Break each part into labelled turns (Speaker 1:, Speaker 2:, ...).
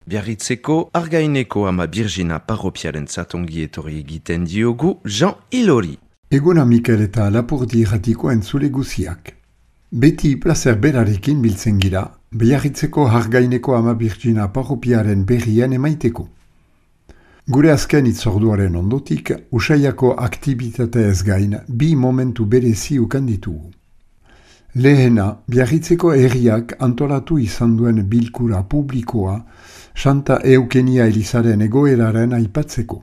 Speaker 1: Biarritzeko Argaineko ama Birgina parropiaren zatongi etorri egiten diogu Jean Ilori.
Speaker 2: Eguna Mikel eta Lapurdi irratiko entzule guziak. Beti plazer berarekin biltzen gira, Biarritzeko Argaineko ama Birgina parropiaren berrien emaiteko. Gure azken itzorduaren ondotik, usaiako aktibitate ez gain, bi momentu berezi ukan ditugu. Lehena, Biarritzeko herriak antolatu izan duen bilkura publikoa, Santa Eukenia Elizaren egoeraren aipatzeko.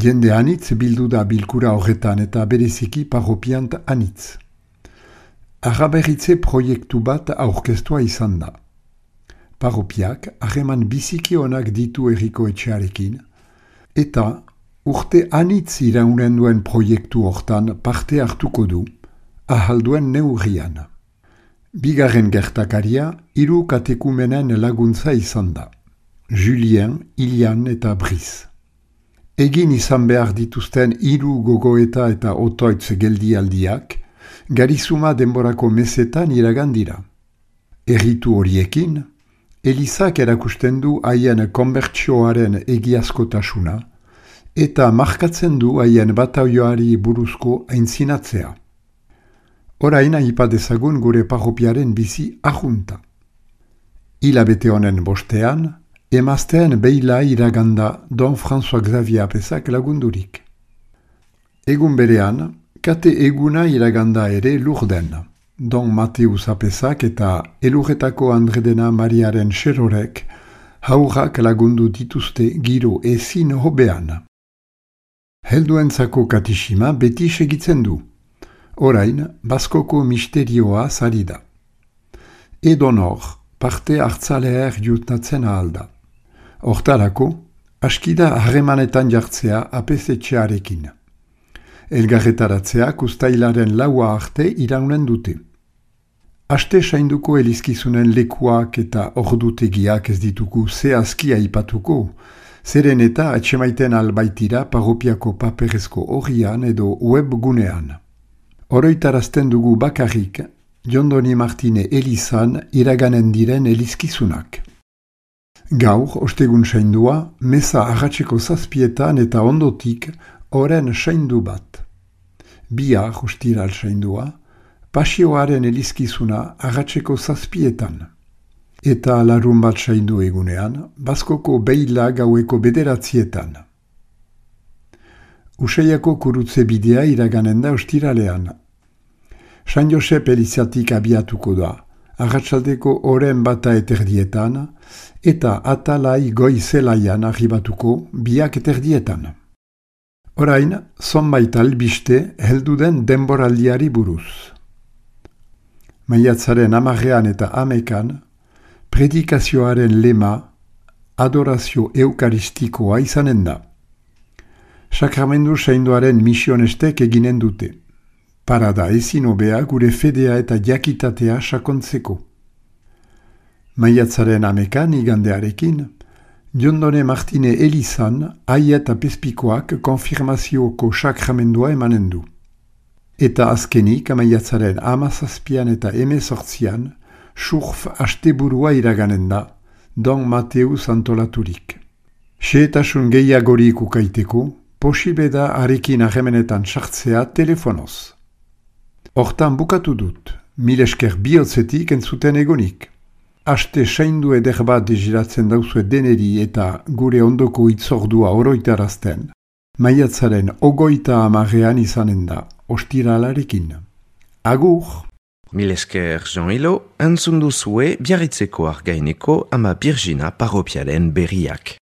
Speaker 2: Jende anitz bildu da bilkura horretan eta bereziki parropiant anitz. Araberritze proiektu bat aurkeztua izan da. Parropiak harreman biziki onak ditu herriko etxearekin, eta urte anitz iraunen duen proiektu hortan parte hartuko du, ahalduen neurrian. Bigarren gertakaria, 3 katekumenen laguntza izan da. Julien, Ilian eta Brice. Egin izan behar dituzten 3 gogoeta eta otoitz geldialdiak, garizuma denborako mesetan iragan dira. Erritu horiekin, Elizak erakusten du haien konbertsioaren egiazkotasuna, eta markatzen du haien bataioari buruzko aintzinatzea. Orain aipadezagun gure parropiaren bizi ajunta. Hilabete honen bostean, emazteen beila iraganda Don François Xavier Apesak lagundurik. Egun berean, kate eguna iraganda ere Lurden. Don Mateus Apesak eta Elurretako Andredena Mariaren Xerorek haurrak lagundu dituzte giro ezin hobean. Helduentzako katixima beti segitzen du. Orain, Baskoko misterioa zari da. Edonor, parte hartzaleer jutnatzen ahalda. Hortarako, askida harremanetan jartzea apesetxearekin. Elgarretaratzeak ustailaren 4 arte iraunen dute. Aste sainduko elizkizunen lekuak eta ordutegiak ez ditugu zehazki aipatuko, zeren eta atxemaiten albaitira parropiako paperezko horrian edo webgunean. Oroitarazten dugu bakarrik, Jondoni Martine Elizan iraganen diren elizkizunak. Gaur, ostegun saindua, meza arratseko 7 eta ondotik oren saindu bat. Bihar, ostiral saindua, pasioaren elizkizuna arratseko 7. Eta larun bat saindu egunean, Baskoko beila gaueko 9. Usaiako kurutze bidea iraganen da ostiralean. San Josep Elizatik abiatuko da, arratsaldeko oren bata eterdietan, eta atalai goizelaian arribatuko 2 eterdietan. Orain, zonbait albiste helduden denboraldiari buruz. Maiatzaren 10 eta 11, predikazioaren lema, adorazio eukaristikoa izanen da. Sakramendu sainduaren misionestek eginen dute. Parada ezin hobea gure fedea eta jakitatea sakontzeko. Maiatzaren 11 igandearekin, Jondone Martine Elizan aiet apezpikoak konfirmazioko sakramendua emanen du. Eta azkenik maiatzaren 17 eta 18 surf asteburua iraganen da, Don Mateus antolaturik. Xehetasun gehiagorik ukaiteko, posible da arekin harremenetan sartzea telefonoz. Hortan bukatu dut, mil esker bihotzetik entzuten egonik. Aste saindu eder bat deziratzen dauzue deneri eta gure ondoko itzordua oroitarazten. Maiatzaren 30 izanen da, ostiralarekin. Agur!
Speaker 1: Mil esker Jean Ilo, entzun duzue Biarritzeko Argaineko ama Birgina parropiaren berriak.